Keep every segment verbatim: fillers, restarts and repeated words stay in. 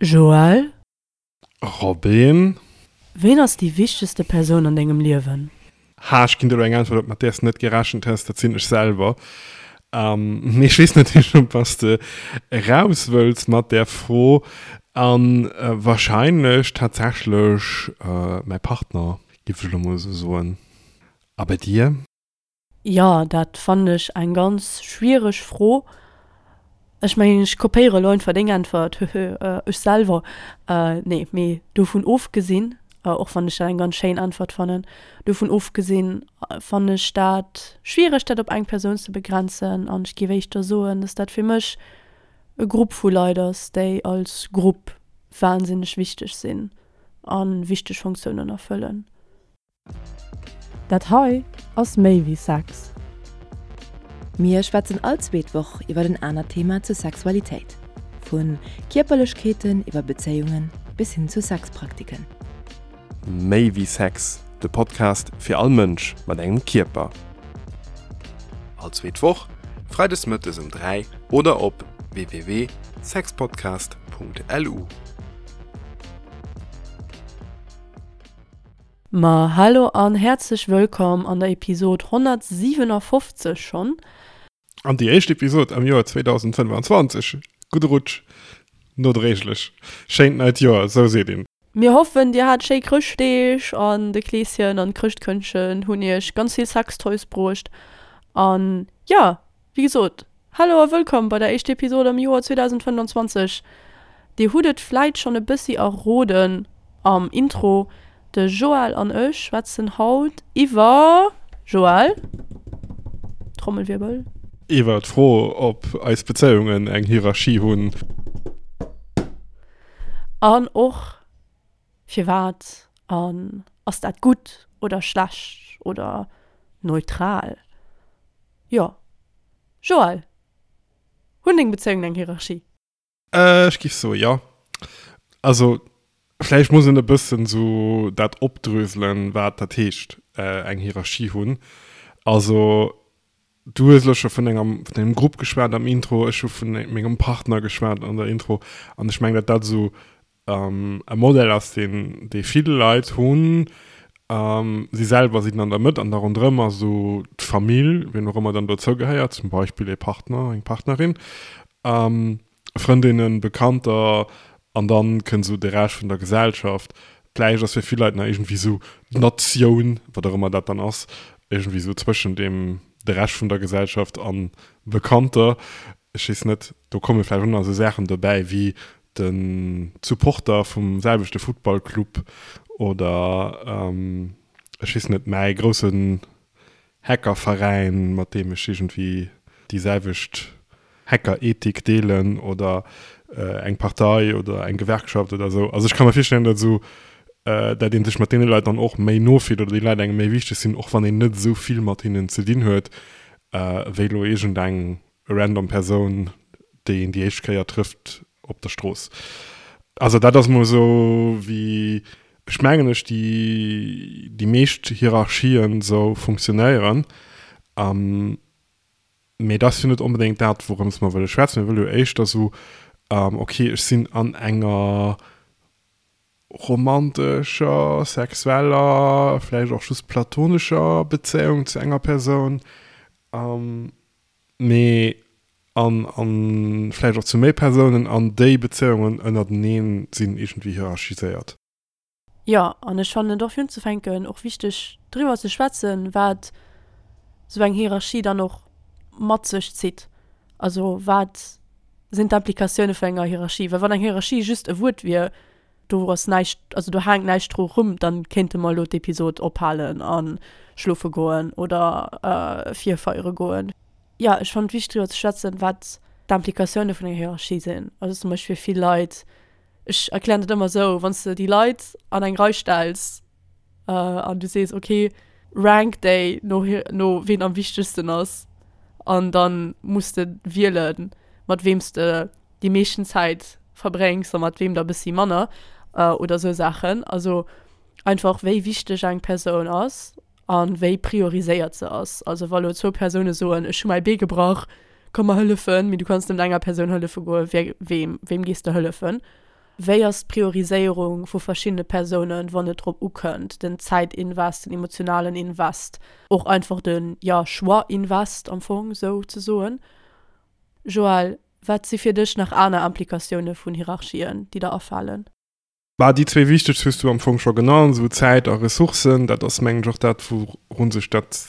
Joël? Robin? Ween ass déi wichtegste Persoun an dengem Liewen? Ha, ech ginn der elo eng Äntwert, mat där s de net gerechent hues, dat sinn ech selwer. Mee ech weess natierlech, op wat s de eraus wëlls mat där Fro. A warscheinlech tatsächlech mäi Partner, géif ech elo mol esou soen. A bei dir? Jo, dat fannen ech eng ganz schwiereg Fro. Ech mengen, ech kopéiere elo einfach deng Äntwert, höhö, ech selwer, nee, mee dovun ofgesinn, och wann ech dat eng ganz schéin Äntwert fannen, dovun ofgesinn fannen ech dat schwiereg, dat op eng Persoun ze begrenzen an ech géif éischter soen, dass dat fir mech e Grupp vu Leit ass, déi als Grupp wahnsinneg wichteg sinn a wichteg Funktiounen erfëllen. Dat hei ass méi wéi Sex. Mir schwätzen all zweet Woch iwwer en anert Thema zur Sexualitéit. Vu Kierperlechkeeten iwwer Bezéiunge bis hin zu Sexpraktiken. Méi wéi Sex, de Podcast fir all Mënsch mat engem Kierper. All zweet Woch, freides mëttes um dräi oder op w w w sexpodcast punkt l u. Ma hallo an häerzlech wëllkomm an der Episod honnertsiwenafoffzeg schonn. An déi éischt Episod am Joer zweedausendfënnfanzwanzeg. Gudde Rutsch nodréiglech. Schéint neit Joer, esou seet een. Mir hoffen dir hat schéi Chrëschtdeeg an de Kleeschen an d'Chrëschtkëndchen hunn iech ganz vill Sextoys bruecht. An jo, wéi gesot, hallo a wëllkomm bei der éischter Episod am Joer zweedausendfënnfanzwanzeg. Dir hutt et vläit schonn e bëssi erroden am Intro, de Joël an ech schwätzen haut iwwer, Joël? Trommelwirbel. Iwwer d'Fro, ob eis Bezéiungen eng Hierarchie hunn. An och firwat an ass dat gutt oder schlecht oder neutral? Jo. Joël, hunn deng Bezéiungen eng Hierarchie? Ech géif soe jo. Also vläicht muss een e bëssen esou dat opdröselen, wat dat heescht, eng Hierarchie hunn. Also du hues elo scho vun enger, vun engem Grupp geschwat am Intro, ech hu vun mengem Partner geschwat an der Intro an ech mengen, datt dat esou e Modell ass, deen, dee vill Leit hunn. Si selwer sinn an der Mëtt an da ronderëm ass esou d'Famill, wien och ëmmer dann dozou gehéiert, zum Beispill ee Partner, eng Partnerin. Frëndinnen, Bekannter an dann kënnt esou de Rescht vun der Gesellschaft. Vläicht ass fir vill Leit nach iergendwéi esou d'Natioun, wat och ëmmer dat dann ass, iergendwéi esou zwëschen deem, de Rescht vun der Gesellschaft an Bekannter. Ech weess net, do komme vläicht och nach esou Saachen dobäi wéi de Supporter vum selwechte Futtballclub oder ech weess net, mäi groussen Hackerveräin, mat deem ech iergendwéi déi selwecht Hackerethik deelen oder eng Partei oder eng Gewerkschaft oder esou. Also ech ka mer virstellen, datt esou, datt ee sech mat deene Leit dann och méi no fillt oder déi Leit engem méi wichteg sinn, och wann een net esou vill mat hinnen ze dinn huet, wéi elo iergendeng random Persoun, déi een déi éischt Kéier trëfft op der Strooss. Also dat ass mol esou, wéi ech mengen ech déi déi meescht Hierarchien esou funktionéieren. Mee dat ass jo net onbedéngt dat, wourëms mer wëlle schwätzen. Mir wëlle jo éischter esou, ok, ech sinn an enger romantescher, sexueller, vläicht och just platonescher Bezéiung zu enger Persoun, mee an, an vläicht och zu méi Persounen, an déi Bezéiungen ënnerteneen sinn iergendwéi hierarchiséiert. Jo, an ech fannen et och fir unzefänken och wichteg driwwer ze schwätzen, wat esou eng Hierarchie dann och mat sech zitt. Also wat sinn d'Implikatioune vun enger Hierarchie? Well wann eng Hierarchie just e Wuert wier, do ass näischt, also do haangt näischt dru rum, dann kéinte mer elo d'Episod ophalen a schlofe goen oder virfeiere goen. Jo, ech fannen et wichteg driwwer ze schwätzen, wat d'Implikatioune vun enger Hierarchie sinn. Also zum Beispill fir vill Leit, ech erklären dat ëmmer esou, wann s de déi Leit an eng Rei stells an du sees, okay, rank déi no, no ween am wichtegsten ass an dann muss de wielen, mat weem s de déi meeschten Zäit verbréngs a mat weem der e bëssi manner oder esou Saachen. Also einfach wéi wichteg eng Persoun ass a wéi prioriséiert se ass. Also wa lo zwou Persoune soen, ech hu mäi Bee gebrach, komm mer hëllefen, mee du kanns nëmmen enger Persoun hëllefe goen, wee, weem, weem gees de hëllefen? Wéi ass d'Prioriséierung vu verschiddene Persounen, wann et drop ukënnt, den Zäitinvest, den emotionalen Invest, och einfach den, jo, Choix-Invest am Fong esou ze soen. Joël, wat si fir dech nach aner Implikatioune vun Hierarchien, déi der afalen? Bah, déi zwee wichtegst hues du am Fong scho genannt, esou Zäit a Ressourcen. Dat ass, mengen ech, och dat, wourun sech dat,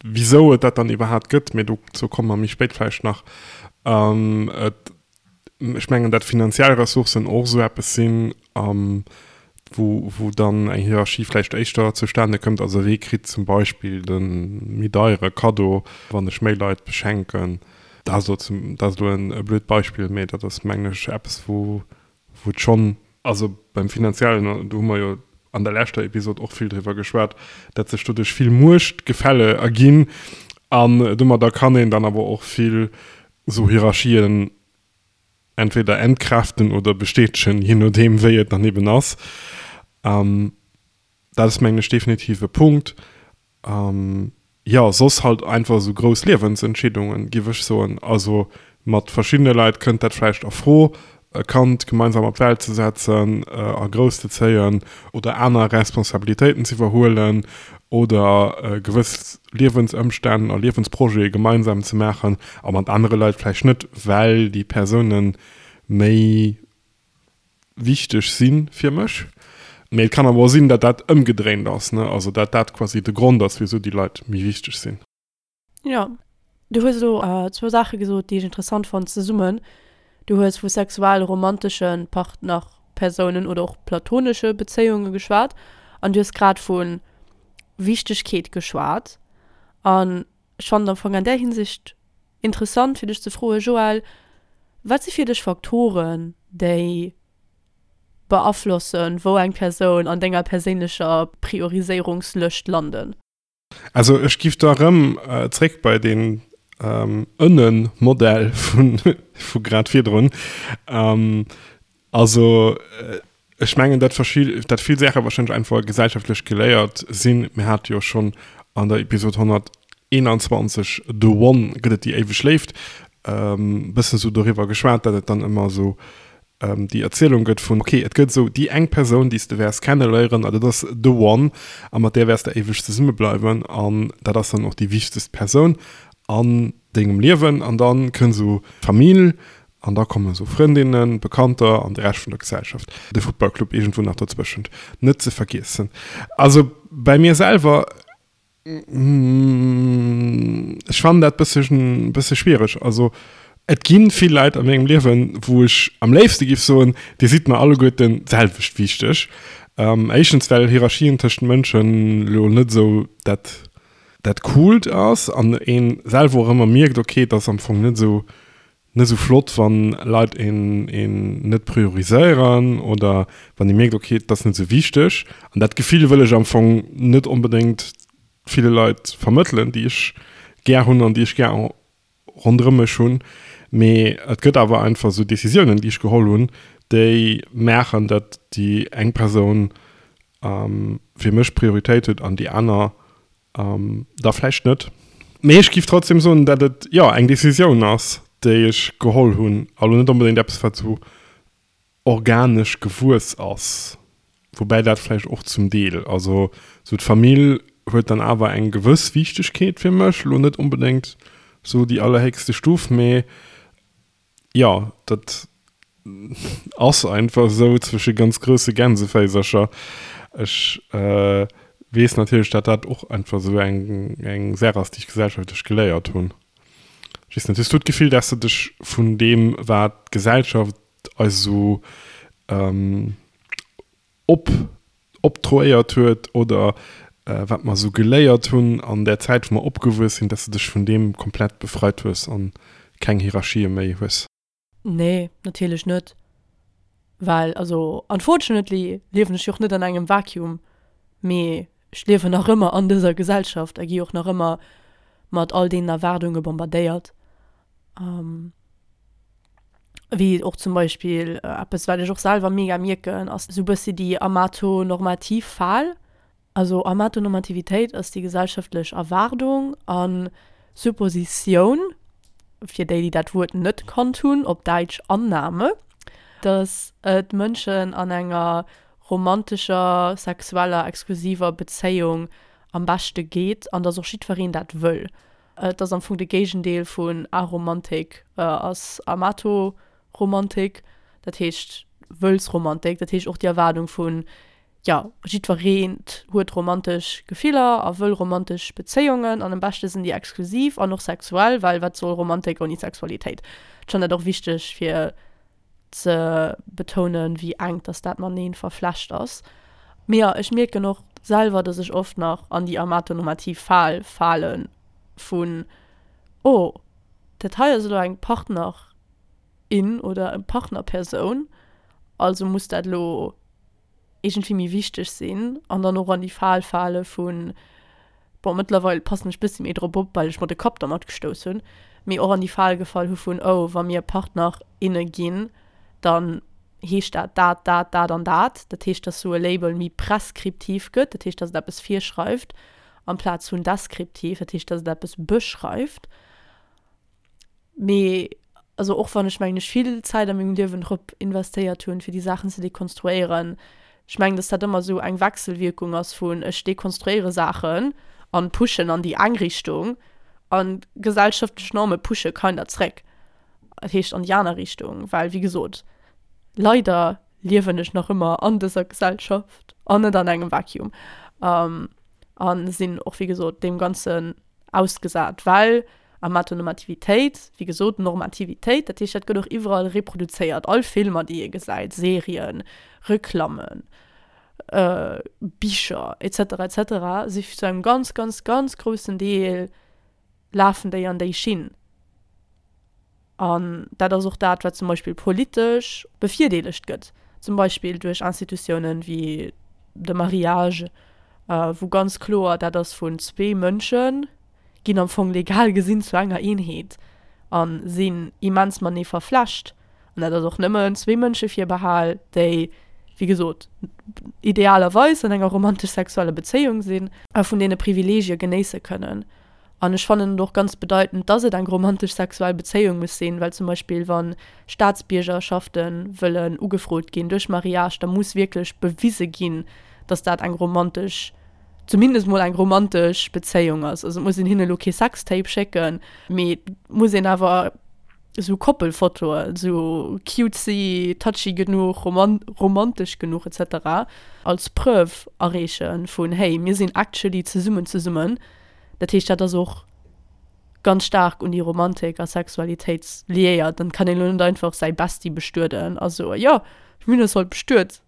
wisou et dat dann iwwerhaapt gëtt, mee dozou komme mer méi spéit vläicht nach. Et, ech mengen, dat finanziell Ressourcen och esou eppes sinn, wou, wou dann eng Hierarchie vläicht éischter zustane kënnt. Also wee kritt zum Beispill de méi deiere Kaddo, wann ech méi Leit beschenken? Dat ass elo zum, dat ass elo e blöd Beispill, mee dat ass, mengen ech, eppes, wou, wou et schonn, also beim Finanziellen, do hu mer jo an der leschter Episod och vill driwwer geschwat, dat sech doduerch vill Muechtgefälle erginn an domadder kann een dann awer och vill esou Hierarchien entweder entkräften oder bestätegen, je nodeem wéi et dann eben ass. Dat ass mengen ech definitiv e Punkt. Jo, soss halt einfach esou grouss Liewensentscheedungen, giff ech soen. Also mat verschiddene Leit kënnt dat vläicht a Fro, e Kand gemeinsam op d'Welt ze setzen a grouss ze zéien oder aner Responsabilitéiten ze iwwerhuelen oder gewëss Liewensëmstänn a Liewensprojete gemeinsam ze maachen a mat anere Leit vläicht net, well déi Persoune méi wichteg si fir mech. Mee et kann awer och sinn, datt dat ëmgedréint ass, ne, also datt dat quasi de Grond ass, wisou déi Leit méi wichteg sinn. Jo, du hues elo zwou Saache gesot, déi ech interessant fonnt zesummen. Du hues vu sexuell-romantesche Partnerpersounen oder och platonesche Bezéiunge geschwat an du hues grad vu Wichtegkeet geschwat. An ech fannen am Fong an där Hinsicht interessant, fir dech ze froen, Joël, wat si fir dech Faktoren, déi beaflossen, wou eng Persoun an denger perséinlecher Prioriséierungslëscht landen? Also ech giff da rëm zréck bei deen Ënnen-Modell vu grad virdrun. Also ech mengen, dat dat vill Saache wahrscheinlech einfach gesellschaftlech geléiert sinn. Mir hate jo schonn an der Episod honnerteenanzwanzeg The One, gëtt et déi éiweg Léift, bëssen esou doriwwer geschwat, dat et dann ëmmer esou déi Erzielung gëtt vun, ok, et gëtt esou déi eng Persoun, déi s de wäers kenneléieren a dat ass the one a mat där wäers de éiweg zesummebleiwen an dat ass dann och déi wichtegst Persoun an dengem Liewen an da kënnt esou d'Famill an da kommen esou Frëndinnen, Bekannter an de Rescht vun der Gesellschaft, de Futtballclub iergendwou nach dozwëschent net ze vergiessen. Also bei mir selwer, Ech fannen dat bëssen bësse schwiereg. Also et ginn vill Leit a mengem Liewen, wou ech am léifste giff soen, dir sidd mer alleguerten d'selwecht wichteg. Éischtens well Hierarchien tëschent Mënschen elo net esou dat dat coolt ass an een selwer och ëmmer mierkt, ok, et ass am Fong net esou net esou flott, wann Leit een een net prioriséieren oder wann ee mierkt, ok, et ass net esou wichteg. An dat Gefill wëll ech am Fong net onbedéngt ville Leit vermëttelen, déi ech gär hunn an déi ech gär ronderëm mech hunn. Mee et gëtt awer einfach esou Decisiounen, déi ech geholl hunn, déi maachen, datt déi eng Persoun fir mech Prioritéit huet an déi aner da vläicht net. Mee ech géif trotzdem soen, datt et, jo, eng Decisioun ass, déi ech geholl hunn a lo net onbedéngt eppes, wat esou organesch gewuess ass. Woubäi dat vläicht och zum Deel, also esou d'Famill huet dann awer eng gewëss Wichtegkeet fir mech, lo net onbedéngt esou déi allerhéchste Stuf, mee jo, dat ass einfach esou zwësche ganz grousse Gänseféisercher. Ech weess natierlech, dat dat och einfach esou eng eng Saach ass, déi ech gesellschaftlech geléiert hunn. Ech weess net, hues du d'Gefill, dass de dech vun deem, wat d'Gesellschaft eis esou op optroéiert huet oder wat mer esou geléiert hunn an där Zäit, wou mer opgewuess sinn, dass de dech vun deem komplett befreit hues an keng Hierarchië méi hues? Nee, natierlech net. Well, also unfortunately liewen ech jo och net an engem Vacuum, mee ech liewen nach ëmmer an dëser Gesellschaft a gi och nach ëmmer mat all deenen Erwaardunge bombardéiert. Wéi och zum Beispill eppes, wat ech och selwer mega mierken, ass esou e bëssi déi amatonormativ Fal. Also Amatonormativitéit ass déi gesellschaftlech Erwaardung a Suppositioun, fir déi, déi dat Wuert net kannt hunn, op Däitsch Annahme, dass et Mënschen an enger romantescher, sexueller, exklusiver Bezéiung am beschte geet an dass och jiddwereen dat wëll. Et ass am Fong de Géigendeel vun Aromantik ass Amatoromantik, dat heescht Wëllsromantik, dat heescht och déi Erwaardung vun, jo, jiddwereen huet romantesch Gefiller a wëll romantesch Bezéiungen an am beschte sinn déi exklusiv an och sexuell, well wat soll Romantik ouni Sexualitéit? Ech fannen dat och wichteg fir ze betounen, wéi enk dass dat mateneen verflecht ass. Mee jo, ech mierken och selwer, dass ech oft nach an déi amatonormativ Fal fale vun, oh, dat hei ass elo eng Partner, in oder eng Partnerpersoun, also muss dat elo iergendwéi méi wichteg sinn. An dann och an déi Fal fale vun, bon, mëttlerweil passen ech bëssi méi drop op, well ech mer de Kapp dermat gestouss hunn, mee och an déi Fal gefall hu vun, oh, wa mir Partner, inne ginn, dann heescht dat dat, dat, dat an dat. Dat heescht, dass sou e Label méi preskriptiv gëtt, dat heescht, dass et eppes virschreift, amplaz vun deskriptiv, dat heescht, dass et eppes beschreift. Mee also och wann ech mengen ech vill Zäit a mengem Liewen drop investéiert hunn, fir déi Saachen ze dekonstruéieren, ech mengen, dass dat ëmmer esou eng Wechselwierkung ass vun ech dekonstruéiere Saachen an pushen an déi eng Richtung an gesellschaftlech Norme pushe kinder zréck, dat heescht an déi aner Richtung, well wéi gesot, leider liewen ech nach ëmmer an dëser Gesellschaft an net an engem Vacuum a sinn och wéi gesot deem Ganzen ausgesat, well Amatonormativitéit, wéi gesot, Normativitéit, dat heescht, dat gëtt och iwwerall reproduzéiert, all Filmer, déi ee gesäit, Serien, Reklammen, Bicher et cetera et cetera si zu engem ganz, ganz, ganz groussen Deel lafen déi an déi Schinn. An dat ass och dat, wat zum Beispill politesch bevirdeelegt gëtt, zum Beispill duerch Institutiounen wéi de Mariage, wou ganz kloer dat ass vun zwee Mënsche ginn am Fong legal gesinn zu enger Eenheet a sinn immens matenee verflecht. An dat ass och nëmmen zwee Mënsche virbehal, déi, wéi gesot, idealerweis an enger romantesch-sexueller Bezéiung sinn a vun deene Privileegie genéisse kënnen. An ech fannen et och ganz bedeitend, dass et eng romantesch sexuell Bezéiung muss sinn, well zum Beispill wa Staatsbiergerschafte wëllen ugefrot ginn duerch Mariage, da muss wierklech bewise ginn, dass dat eng romantesch, zumindest mol eng romantesch Bezéiung ass. Also et muss een hinne lo kee Sextape schécken, mee et muss een awer esou Koppelfotoen, esou cutesy, touchy genuch, romantesch genuch et cetera als Preuve areeche vun, hey, mir sinn actually zesummen zesummen. Dat heescht, dat ass och ganz staark un déi Romantik a Sexualitéit liéiert. Dann kann een elo net einfach säi Bestie bestueden a soen, jo, mir hunn eis haut bestuet,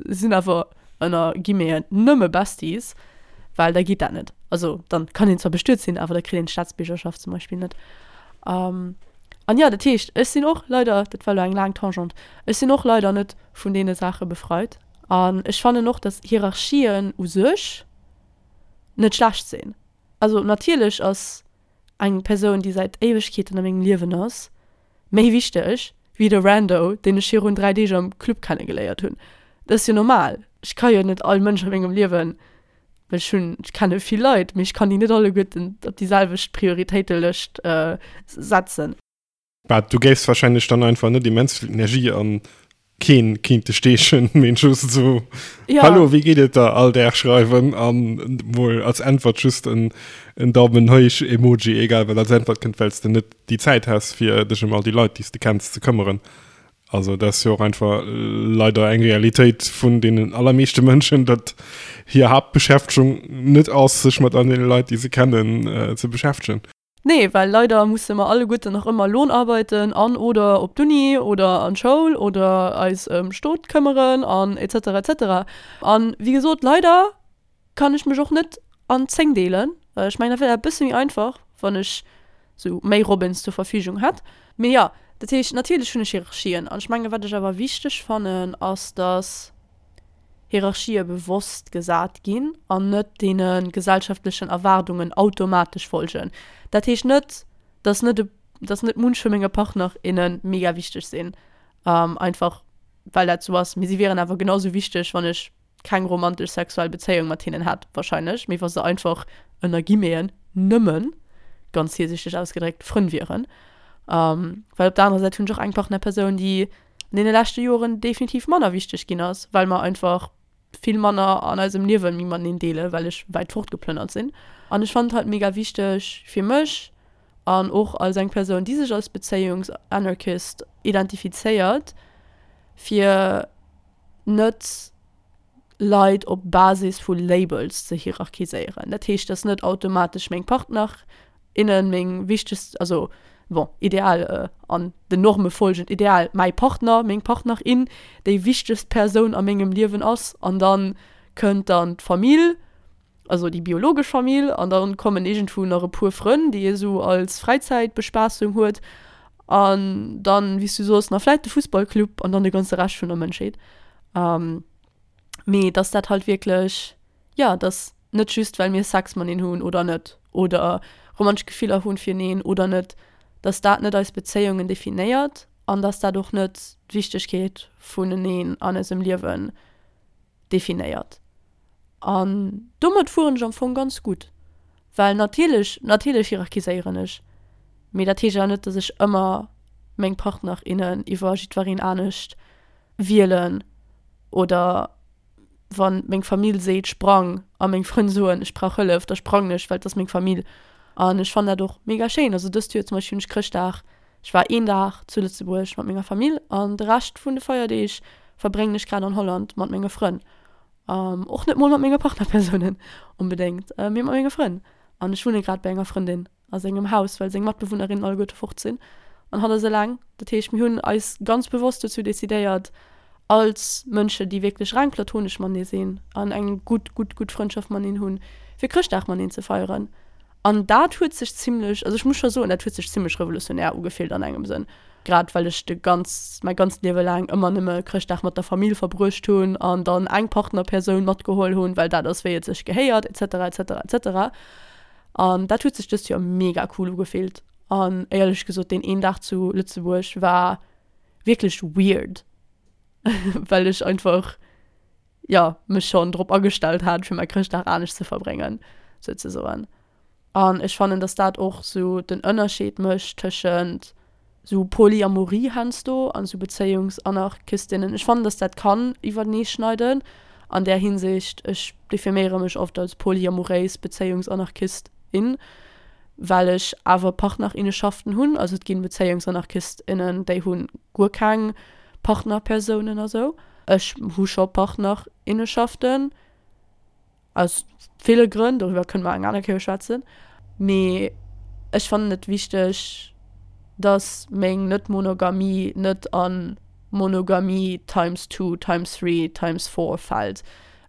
sinn awer ënner Guillemeten nëmme Besties, well da geet dat net. Also dann kann een zwar bestuet sinn, awer da kritt een d'Staatsbiergerschaft zum Beispill net. An jo, dat heescht, ech sinn och leider, dat war elo eng laang Tangente, ech sinn och leider net vun deene Saache befreit. An ech fannen och, datt Hierarchien u sech net schlecht sinn. Also natierlech ass eng Persoun, déi säit Éiwegkeeten a mengem Liewen ass, méi wichteg wéi de Rando, deen ech virun dräi Deeg am Club kennegeléiert hunn. Dat ass jo normal. Ech ka jo net all Mënsch a mengem Liewen, well ech hunn, ech kenne vill Leit, mee ech kann déi net alleguerten op déi selwecht Prioritéitelëscht setzen. Bah, du géifs wahrscheinlech dann einfach net immens vill Energie an keen kinnte steechen, mee just esou, Ja. Hallo, wéi geet et der, all Dag schreiwen an mol als Äntwert just en, en Daumen héich Emoji, egal wat als Äntwert kënnt, well s de net déi Zäit häss, fir dech ëm all déi Leit, déi s de kenns, ze këmmeren. Also dat ass jo och einfach leider eng Realitéit vun deenen allermeeschte Mënschen, datt hir Haaptbeschäftegung net ass, sech mat all deene Leit, déi se kennen, ze beschäftegen. Nee, well leider musse mer alleguerten nach ëmmer Lohnarbeiten an oder op d'Uni oder an d'Schoul oder eis ëm Stot këmmeren an et cetera et cetera. An wéi gesot, leider kann ech mech och net an zéng deelen. Ech mengen, dat wär e bësse méi einfach, wann ech sou méi Robins zur Verfügung hätt. Mee jo, dat heescht, natierlech hunn ech Hierarchien. An ech mengen, wat ech awer wichteg fannen, ass, dass Hierarchië bewosst gesat ginn an net deene gesellschaftlechen Erwaardungen automatesch folgen. Dat heescht net, dass net, dass net munch vu menge Partner, inne mega wichteg sinn, einfach well dat sou ass. Mee si wieren awer genau sou wichteg, wann ech keng romantesch sexuell Bezéiung mat hinnen hätt wahrscheinlech, mee wa se einfach, ënner Guillemeten, nëmmen, ganz virsiichteg ausgedréckt, Frënn wieren. Well op der anerer Säit hunn ech och eng Partnerpersoun, déi an deene leschte Joren definitiv manner wichteg ginn ass, well mer einfach vill manner an eisem Liewe méi mateneen deelen, well ech wäit fortgeplënnert sinn. An ech fannen et halt mega wichteg fir mech an och als eng Persoun, déi sech als Bezéiungsanarchist identifizéiert, fir net Leit op Basis vu Labels ze hierarchiséieren. Dat heescht, dass net automatesch meng Partner, innen meng wichtegst, also bon, ideal an den Norme folgend, ideal mäi Partner, meng Partner, in déi wichtegst Persoun a mengem Liewen ass an dann kënnt dann d'Famill, also déi biologesch Famill an dann kommen iergendwou nach e puer Frënn, déi ee sou als Fräizäitbespaassung huet an dann, wéi s du soos, nach vläit de Fussballclub an dann de ganze Rescht vun der Mënschheet. Mee dass dat halt wierklech, jo, dass net just well mir Sex mateneen hunn oder net oder romantesch Gefiller hunn fireneen oder net, dass dat net eis Bezéiungen definéiert an dass dat och net d'Wichtegkeet vuneneen an eisem Liewen definéiert. An domat fueren ech am Fong ganz gutt, well natierlech, natierlech hierarchiséieren ech, mee dat heescht awer net, dass ech ëmmer meng Partner, innen iwwer jiddwereen anescht wielen oder wann meng Famill seet sprang a meng Frënn soen ech brauch Hëllef, da sprangen ech, well et ass meng Famill. An ech fannen dat och mega schéin. Also dëst Joer zum Beispill hunn ech Chrëschtdag, ech war een Dag zu Lëtzebuerg mat menger Famill an de Rescht vun de Feierdeeg verbréngen ech grad an Holland mat menge Frënn. Och net mol mat menge Partnerpersounen onbedéngt, mee mat menge Frënn. An ech wunne grad bei enger Frëndin a sengem Haus, well seng Matbewunnerinnen alleguerte fort sinn an hatt ass eleng. Dat heescht, mir hunn eis ganz bewosst dozou decidéiert, als Mënschen, déi wierklech reng platonesch matenee sinn an eng gutt, gutt, gutt Frëndschaft mateneen hunn, fir Chrëschtdag mateneen ze feieren. An dat huet sech zimlech, also ech muss scho soen, dat huet sech zimlech revolutionär ugefillt an engem Sënn, grad well ech de ganz, mäi ganzt Liewe laang ëmmer nëmme Chrëschtdag mat der Famill verbruecht hunn an dann eng Partnerpersoun matgeholl hunn, well dat ass wéi et sech gehéiert et cetera et cetera et cetera. An dat huet sech dëst Joer mega cool ugefillt. An éierlech gesot, deen een Dag zu Lëtzebuerg war wierklech weird, well ech einfach, jo, mech schonn drop agestellt hat, fir mäi Chrëschtdag anescht ze verbréngen, souzesoen. An ech fannen, dass dat och sou den Ënnerscheed mécht tëschent sou Polyamorie heiansdo an sou Bezéiungsanarchistinnen. Ech fannen, dass dat kann iwwertenee schneiden an där Hinsicht. Ech definéiere mech oft als polyamoréis Bezéiungsanarchistin, well ech awer Partnerinneschaften hunn. Also et ginn Bezéiungsanarchistinnen, déi hu guer keng Partnerpersounen a sou. Ech hu scho Partnerinneschaften, aus ville Grënn, doriwwer kënne mer eng aner Kéier schwätzen. Mee ech fannen et wichteg, dass meng Net-Monogamie net a Monogamie times two, times three, times four fält,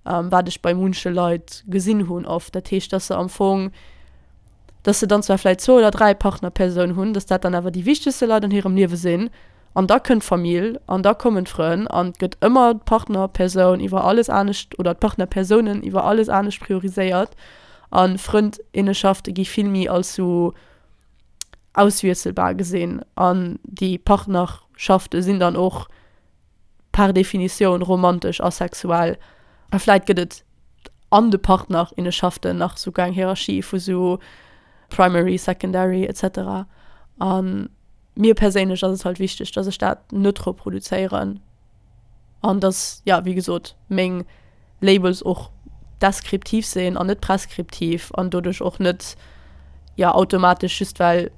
wat ech bei munche Leit gesinn hunn oft. Dat heescht, dass se am Fong, dass se dann zwar vläicht zwou oder dräi Partnerpersounen hunn, dass dat dann awer déi wichtegste Leit an hirem Liewe sinn, An da kënnt d'Famill an da kommen d'Frënn an et gëtt ëmmer d'Partnerpersoun iwwer alles anescht oder d'Partnerpersounen iwwer alles anescht prioriséiert a Frëndinneschafte gi vill méi als sou auswiesselbar gesinn an déi Partnerschafte sinn dann och par Definitioun romantesch a sexuell. A vläit gëtt et an de Partnerinneschaften nach souguer eng Hierarchie vu sou Primary, Secondary et cetera. An mir perséinlech ass et halt wichteg, dass ech dat net reproduzéieren an dass, ja, wéi gesot, meng Labels och deskriptiv sinn an net preskriptiv an doduerch och net, ja, automatesch just well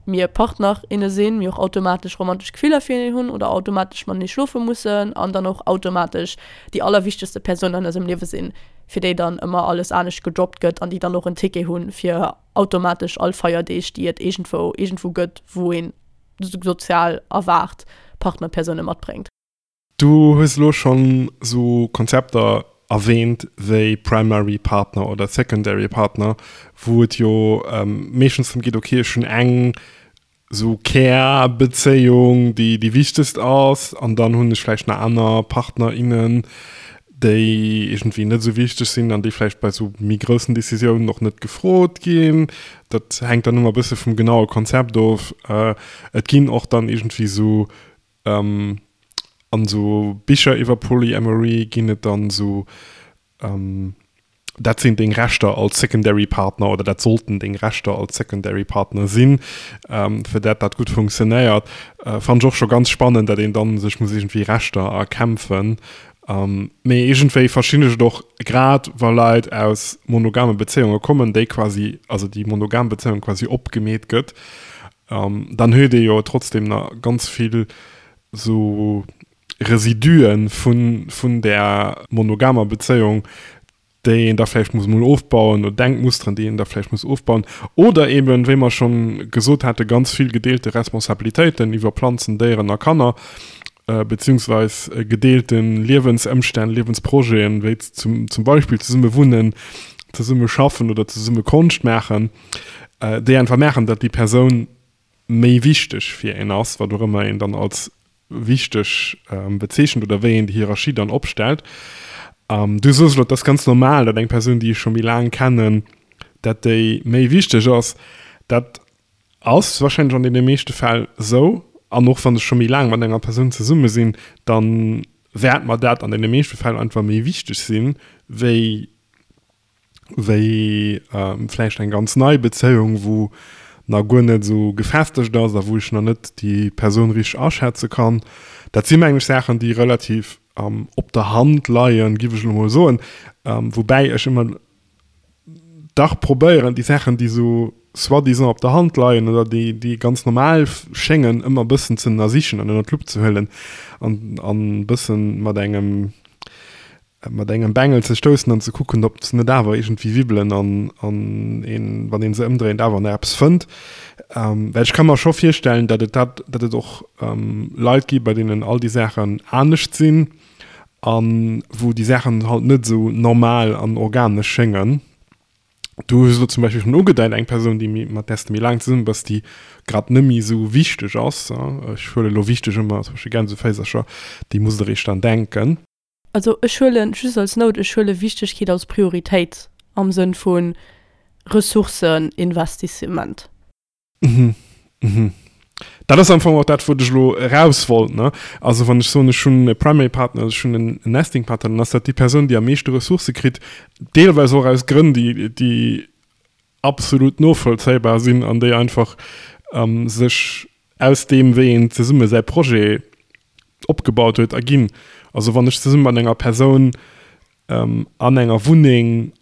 mir Partner, inne sinn, mir och automatesch romantesch Gefiller fireneen hunn oder automatesch matenee schlofe mussen an dann och automatesch déi allerwichtegste Persoun an eisem Liewe sinn, fir déi dann ëmmer alles anescht gedroppt gëtt an déi dann och en Ticket hunn fir automatesch all Feierdeeg, déi et iergendwou iergendwou gëtt, wou een sozial erwaart Partnerpersoune matbréngt. Du hues elo schonn esou Konzepter erwähnt wéi Primary Partner oder Secondary Partner, wou et jo meeschtens drëm geet, okay, ech hunn eng esou Kärbezéiung, déi déi wichtegst ass, an dann hunn ech vläicht nach aner Partner, innen, déi iergendwéi net esou wichteg sinn an déi vläicht bei esou méi groussen Decisiounen och net gefrot ginn. Dat hänkt dann ëmmer e bësse vum genaue Konzept of. Et ginn och dann iergendwéi esou an esou Bicher iwwer Polyamory ginn et dann esou Dat sinn deng Rechter als Secondary Partner oder dat sollten deng Rechter als Secondary Partner sinn, fir dat dat gutt funktionéiert. Fannen ech och scho ganz spannend, dat een dann sech muss iergendwéi Rechter erkämpfen. Mee iergendwéi verstinn ech et och, grad wa Leit aus monogame Bezéiunge kommen, déi quasi, also déi monogam Bezéiung quasi opgemeet gëtt, dann huet ee jo trotzdem nach ganz vill sou Residuen vun, vun där monogamer Bezéiung, déi een da vläicht muss emol ofbauen, oder Denkmusteren, déi een da vläicht muss ofbauen, oder eben, wéi mer schonn gesot hate, ganz vill gedeelte Responsabilitéiten iwwer Planzen, Déieren a Kanner, beziehungsweis gedeelte Liewensëmstänn, Liewensprojeten, wéi zum, zum Beispill zesumme wunnen, zesumme schaffen oder zesumme Konscht maachen, déi einfach maachen, datt déi Persoun méi wichteg fir een ass, wat och ëmmer een dann als wichteg bezeechent oder wéi een déi Hierarchie dann opstellt. Du soos elo, et ass ganz normal, datt eng Persoun, déi ech scho méi laang kennen, datt déi méi wichteg ass. Dat ass warscheinlech an deene meeschte Fäll esou. An och wann ech scho méi laang mat enger Persoun zesumme sinn, da wäert mer dat an deene meeschte Fäll einfach méi wichteg sinn, wéi wéi vläicht eng ganz nei Bezéiung, wou nach guer net esou gefestegt ass a wou ech nach net déi Persoun richteg aschätze kann. Dat si mengen ech Saachen, déi relativ op der Hand leien, giff ech elo mol soen, woubäi ech ëmmer dach probéieren, déi Saachen, déi esou soi-disant op der Hand leien oder déi, déi ganz normal schéngen, ëmmer e bëssen ze ënnersichen an ënner d'Lupp ze huelen an e bëssen mat engem mat engem Bengel ze stoussen an ze kucken, ob se net awer iergendwéi wibbelen an, an een, wann een se ëmdréint, awer nach eppes fënnt. Well ech ka mer scho virstellen, datt et dat, datt et och Leit gi bei deenen all déi Saachen anescht sinn a wou déi Saachen halt net esou normal an organesch schéngen. Du hues elo zum Beispill schonn ugedeit, eng Persoun, déi méi, mat där s de méi laang zesumme bass, déi grad net méi esou wichteg ass, ech huele elo wichteg ëmmer zwësche Gänseféisercher, déi muss der eréischt dann denken. Also ech huelen, just als Note, ech huele Wichtegkeet als Prioritéit am Sënn vu Ressourceninvestissement. Mhm, mhm. Dat ass am Fong och dat, wou ech elo eraus wollt, ne? Also wann ech soen, ech hunn e Primary Partner, ech hunn en Nesting Partner, dann ass dat déi Persoun, déi am meeschte Ressourcë kritt, deelweis och aus Grënn, déi, déi absolut novollzéibar sinn an déi einfach sech aus deem, wéi een zesumme säi Projet opgebaut huet, erginn. Also wann ech zesumme mat enger Persoun an enger Wunneng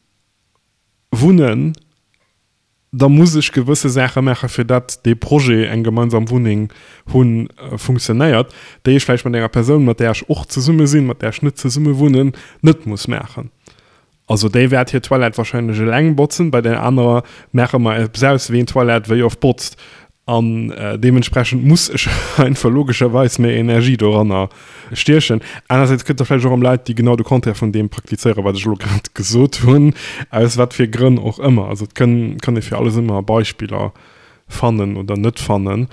wunnen, da muss ech gewësse Saache maache fir dat dee Projet, eng gemeinsam Wunneng hunn, funktionéiert, déi ech vläicht mat enger Persoun, mat där ech och zesumme sinn, mat där ech net zesumme wunnen, net muss maachen. Also déi wäert hir Toilette wahrscheinlech eleng botzen, bei där anerer maache mer eppes aus, ween d'Toilette wéi oft botzt. An deementsprechend muss ech einfach logescherweis méi Energie doranner stiechen. Anersäits gëtt et vläicht och erëm Leit, déi genau de Contraire vun deem praktizéieren, wat ech elo grad gesot hunn, aus wat fir Grënn och ëmmer. Also et kënn, kann ee fir alles ëmmer Beispiller fannen oder net fannen.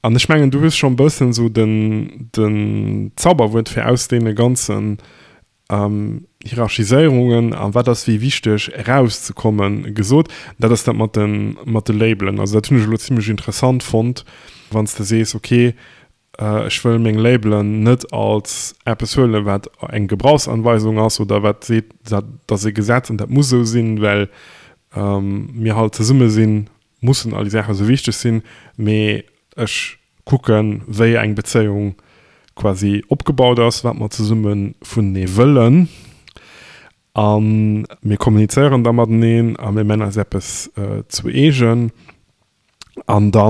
An ech mengen, du hues scho e bëssen esou den, den Zauberwuert fir aus deene ganzen Hierarchiséierungen a wat ass wéi wichteg erauszekommen gesot. Dat ass dat mat de mat de Labelen. Also dat hunn ech elo zimlech interessant fonnt, wann s de sees, okay, ech wëll meng Labelen net als eppes huelen, wat eng Gebrauchsanweisung ass oder wat seet, dat ass e Gesetz an dat muss esou sinn, well mir halt zesumme sinn, mussen all déi Saache sou wichteg sinn, mee ech kucken, wéi eng Bezéiung quasi opgebaut ass, wat mer zesumme vunenee wëllen a mir kommunizéieren da mateneen a mir man eis eppes zu eegen an da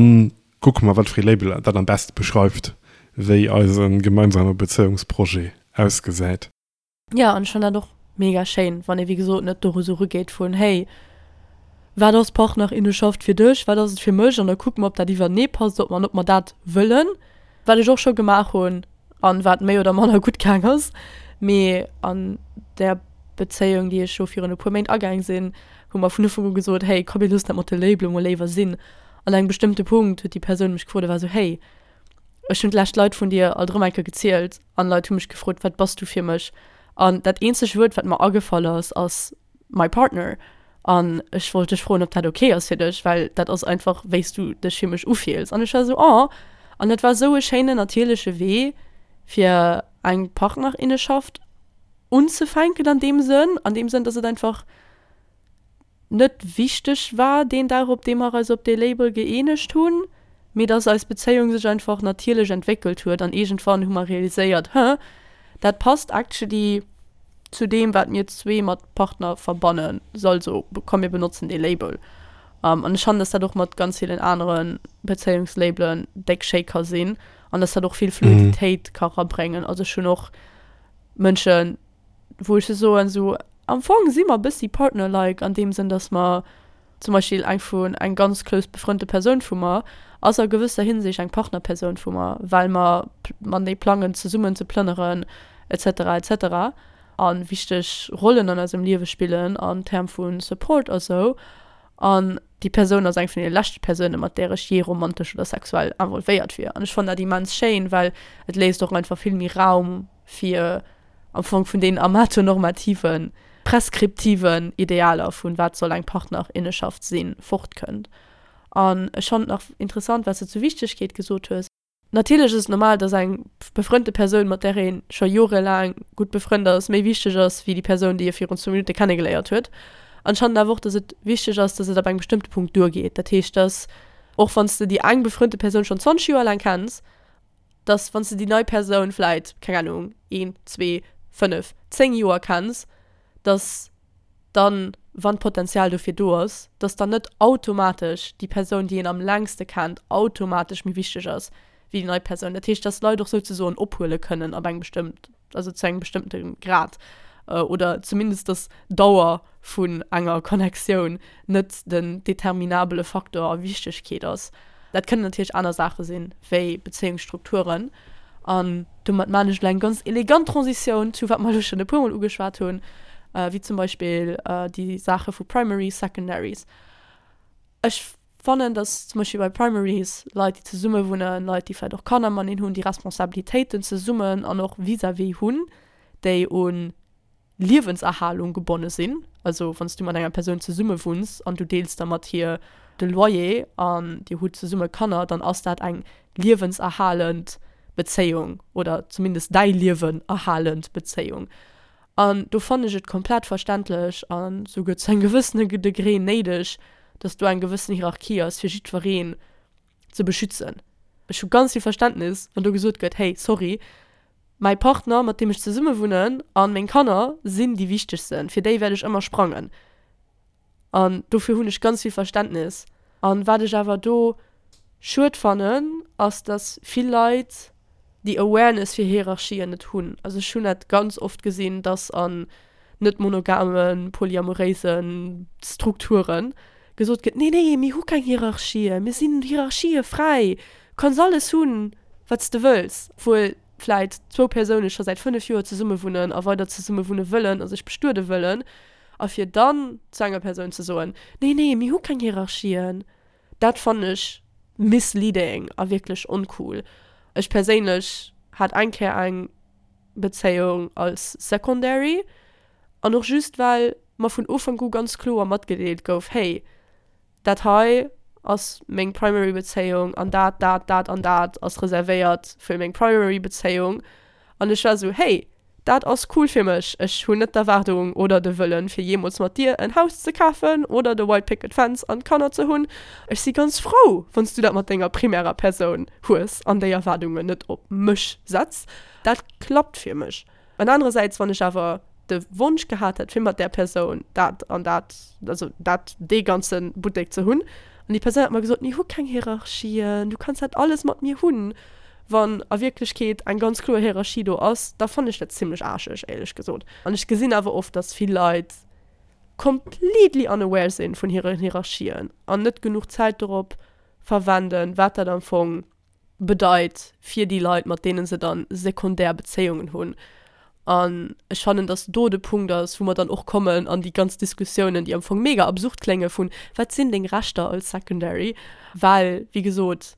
kucke mer, wat fir ee Label dat am beste beschreift, wéi eise gemeinsame Bezéiungsprojet ausgesäit. Jo, an ech fannen dat och mega schéin, wann ee wéi gesot net doru sou erugeet vun, hey, wat ass Partnerinnenschaft fir dech, wat ass et fir mech, an da kucke mer, ob dat iwwernee passt, ob mer an ob mer dat wëllen. Wat ech och scho gemaach hunn an wat méi oder manner gutt gaang ass, mee an där Bezéiung, déi ech elo virun e puer Méint agaang sinn, hu mer vun Ufank u gesot, hey, komm mir loossen dat mat de Labele mol léiwer sinn. An engem bestëmmte Punkt huet déi Persoun mech gefrot a war esou, hey, ech hunn d'lescht Leit vun dir alt erëm eng Kéier gezielt an Leit hu mech gefrot, wat bass du fir mech? An dat eenzegt Wuert, wat mer agefall ass, ass my partner. An ech wollt dech froen, ob dat ok ass fir dech, well dat ass einfach, wéi s du dech fir mech ufills. An ech war esou, oh. An dat war esou e schéinen, natierleche Wee, fir eng Partnerinneschaft unzefänken an deem Sënn, an deem Sënn, dass et einfach net wichteg war deen Dag, op deem mer eis op dee Label gëeenegt hunn, mee dass eis Bezéiung sech einfach natierlech entwéckelt huet an iergendwann hu mer realiséiert, Huh, dat passt actually zu deem, wat mir zwee mat Partner verbannen, so also komm mir benotzen dee Label. An ech fannen, dass dat och mat ganz villen anere Bezéiungslabelen déck schéi ka sinn an dass dat och vill Fluiditéit ka rabréngen. Also ech hunn och Mënschen, wou ech soen, sou am Fong si mer e bëssi partner-like an deem Sënn, dass mer zum Beispill eng vun eng ganz close befrënnte Persoun vu mer ass a gewësser Hinsicht eng Partnerpersoun vu mer, well mer matenee plangen zesummen ze plënneren et cetera et cetera a wichteg Rollen an eisem Liewe spillen an Term vu Support a sou. An déi Persoun ass eng vun deene leschte Persounen, mat där ech jee romantesch oder sexuell involvéiert wier. An ech fannen dat immens schéin, well et léisst och einfach vill méi Raum fir am Fong vun deenen amatonormativen, preskriptiven Idealer vun wat soll eng Partnerinneschaft sinn, fortkënnt. An ech fannen et nach interessant, wat s de zur Wichtegkeet gesot hues. Natierlech ass et normal, dass eng befrënnte Persoun, mat där ee scho jorelaang gutt befrënnt ass, méi wichteg ass wéi déi Persoun, déi ee virun zwou Minutte kennegeléiert huet. An ech fannen awer och, dass et wichteg ass, dass et ab engem bestëmmte Punkt duergeet. Dat heescht, dass och wann s de déi eng befrënnte Persoun schonn zwanzeg Joer laang kenns, dass wann s de déi nei Persoun vläit, keng Ahnung, een, zwee, fënnef, zéng Joer kenns, dass dann, wann d'Potenzial dofir do ass, dass dann net automatesch déi Persoun, déi een am längste kennt, automatesch méi wichteg ass wéi déi nei Persoun. Dat heescht, dass Leit och souzesoen ophuele kënnen ab engem bestëmmt, also zu engem bestëmmte Grad oder zumindest dass d'Dauer vun enger Connectioun net den determinabele Faktor a Wichtegkeet ass. Dat kënnen natierlech aner Saache sinn, wéi Bezéiungsstrukturen. An domat maan ech elo eng ganz elegant Transitioun zu wat mer elo schonn e puermol ugeschwat hunn, wéi zum Beispill déi Saache vu Primaries, Secondaries. Ech fannen, dass zum Beispill bei Primaries Leit, déi zesumme wunnen, Leit, déi vläicht och Kanner mateneen hunn, déi Responsabilitéiten zesummen an och vis-à-vis hunn, déi un Liewenserhalung gebonne sinn. Also wann s du mat enger Persoun zesumme wunns an du deels da mat hir de Loyer an dir hutt zesumme Kanner, dann ass dat eng liewenserhalend Bezéiung oder zumindest däi Liewen erhalend Bezéiung. An do fannen ech et komplett verständlech a souguer zu engem gewëssene Degré néideg, dass do eng gewëssen Hierarchie ass, fir jiddwereen ze beschützen. Ech hu ganz vill Verständnis, wann do gesot gëtt, hey, sorry, mäi Partner, mat deem ech zesumme wunnen, a meng Kanner sinn déi wichtegsten, fir déi wäert ech ëmmer sprangen. An dofir hunn ech ganz vill Verständnis. An wat ech awer do schued fannen, ass, dass vill Leit déi Awareness fir Hierarchien net hunn. Also ech hunn dat ganz oft gesinn, dass an net monogamen, polyamoréisen Strukturen gesot gëtt, Nee, nee, mir hu keng Hierarchien, mir sinn hierarchiefräi, du kanns alles hunn, wat s de wëlls. Obwuel vläit zwou Persoune scho säit fënnef Joer zesummewunnen a weider zesummewunne wëllen a sech bestuede wëllen, a fir dann zu enger Persoun ze soen, Nee, nee, mir hu keng Hierarchien, dat fannen ech misleading a wierklech oncool. Ech perséinlech hat eng Kéier eng Bezéiung als Secondary, an och just well mer vun Ufank u ganz kloer matgedeelt gouf, Hey, dat hei ass meng Primary Bezéiung an dat, dat, dat an dat ass reservéiert fir meng Primary Bezéiung. An ech war esou, Hey, dat ass cool fir mech, ech hunn net d'Erwaardung oder de Wëllen, fir jeemools mat dir en Haus ze kafen oder de White Picket Fence an Kanner ze hunn. Ech si ganz frou, wann s du dat mat denger primärer Persoun hues an déi Erwaardungen net op mech setz. Dat klappt fir mech. An anerersäits, wann ech awer de Wonsch gehat hätt, fir mat där Persoun dat an dat, also dat, dee ganze Buttek ze hunn, an déi Persoun hätt mer gesot, mir hu keng Hierarchien, du kanns dat alles mat mir hunn, wann a Wierklechkeet eng ganz kloer Hierarchie do ass, da fannen ech dat zimlech aarscheg, éierlech gesot. An ech gesinn awer oft, dass vill Leit completely unaware sinn vun hiren Hierarchien an net genuch Zäit dorop verwenden, wat dat am Fong bedeit fir déi Leit, mat deene se dann sekundär Bezéiungen hunn. An ech fannen, dass do de Punkt ass, wou mer dann och kommen an déi ganz Diskussiounen, déi am Fong mega absurd klénge vun, wat sinn deng Rechter als Secondary? Well, wéi gesot,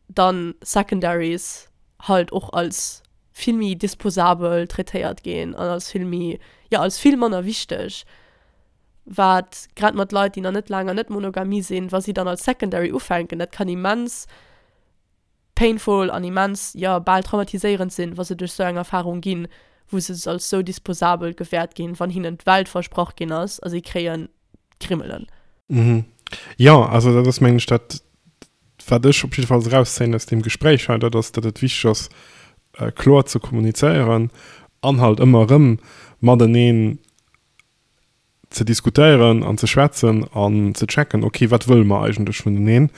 dann Secondaries halt och als vill méi disposabel traitéiert ginn an als vill méi, jo, als vill manner wichteg, wat grad mat Leit, déi nach net laang an net Monogamie sinn, wa si dann als Secondary ufänken, dat kann immens painful an immens, jo, bal traumatiséierend sinn, wa se duerch sou eng Erfarung ginn, wou se als sou disposabel gewäert ginn, wann hinnen d'Welt versprach ginn ass a si kréien Krimmelen. Mhm. Jo, also dat ass mengen ech dat, wat ech op jiddefalls erauszéien aus deem Gespréich hei, dat ass, datt et wichteg ass, kloer ze kommunizéieren an halt ëmmer erëm mateneen ze diskutéieren an ze schwätzen an ze checken, okay, wat wëlle mer eigentlech vuneneen.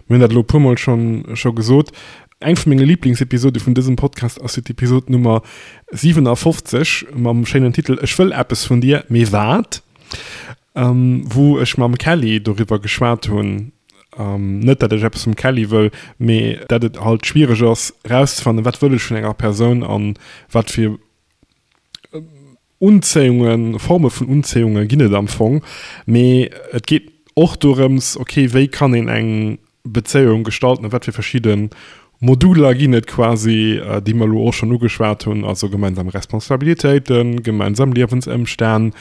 Mir hunn dat elo e puermol schonn scho gesot. Eng vu menge Liblingsepisode vun dësem Podcast ass jo d'Episod Nummer siwenafofzeg mam schéinen Titel Ech wëll eppes vun dir, mee wat? Wou ech mam Kelly doriwwer geschwat hunn, net dat ech eppes vum Kelly wëll, mee dat et halt schwiereg ass erauszefannen, wat wëll ech vun enger Persoun an wat fir Unzéiungen, Forme vun Unzéiunge ginn et am Fong. Mee et geet och dorëms, okay, wéi kann een eng Bezéiung gestalten a wat fir verschidde Moduler ginn et quasi, déi mer elo och schonn ugeschwat hunn, also gemeinsam Responsabilitéiten, gemeinsam Liewensëmstänn,